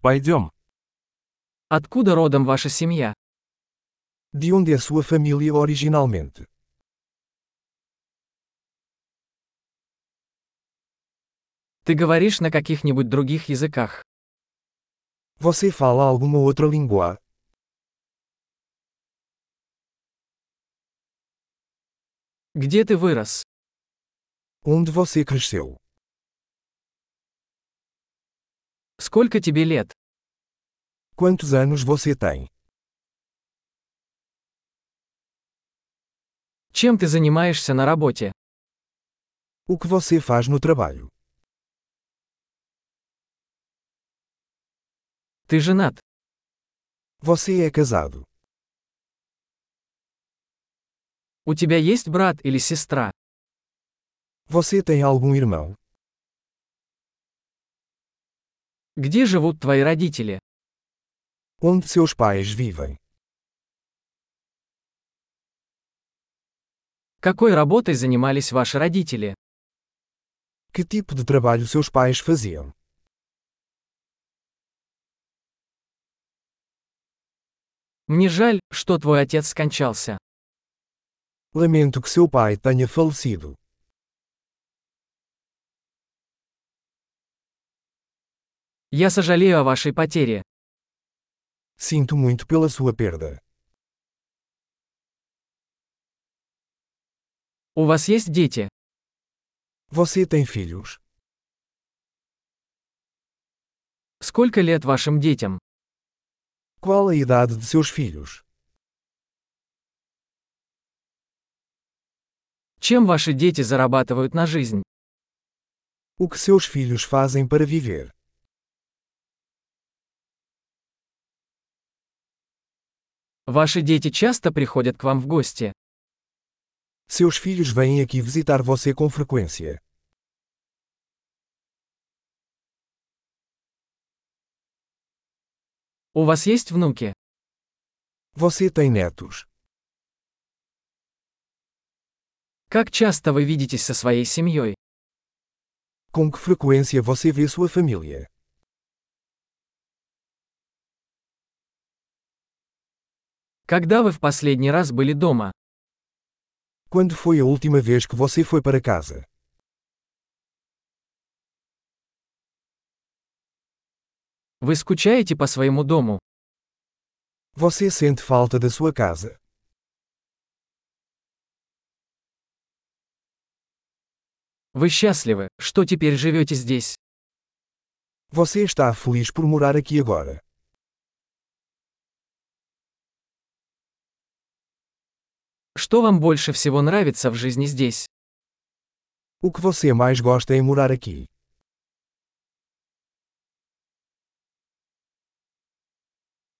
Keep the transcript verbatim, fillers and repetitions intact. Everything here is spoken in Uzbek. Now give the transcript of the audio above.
Пойдем. Откуда родом ваша семья? De onde é sua família originalmente? Ты говоришь на каких-нибудь других языках? Você fala alguma outra língua? Где ты вырос? Onde você cresceu? Сколько тебе лет? Quantos anos você tem? Чем ты занимаешься на работе? O que você faz no trabalho? Ты женат? Você é casado? У тебя есть брат или сестра? Você tem algum irmão? Где живут твои родители? Onde seus pais vivem? Какой работой занимались ваши родители? Que tipo de trabalho seus pais faziam? Мне жаль, что твой отец скончался. Lamento que seu pai tenha falecido. Я сожалею о вашей потере. Sinto muito pela sua perda. У вас есть дети? Você tem filhos? Сколько лет вашим детям? Qual a idade de seus filhos? Чем ваши дети зарабатывают на жизнь? O que seus filhos fazem para viver? Ваши дети часто приходят к вам в гости? Seus filhos vêm aqui visitar você com frequência. У вас есть внуки? Você tem netos? Как часто вы видитесь со своей семьей? Com que frequência você vê sua família? Когда вы в последний раз были дома? Quando foi a última vez que você foi para casa? Вы скучаете по своему дому? Você sente falta da sua casa? Вы счастливы, что теперь живете здесь? Você está feliz por morar aqui agora? Что вам больше всего нравится в жизни здесь? O que você mais gosta em morar aqui?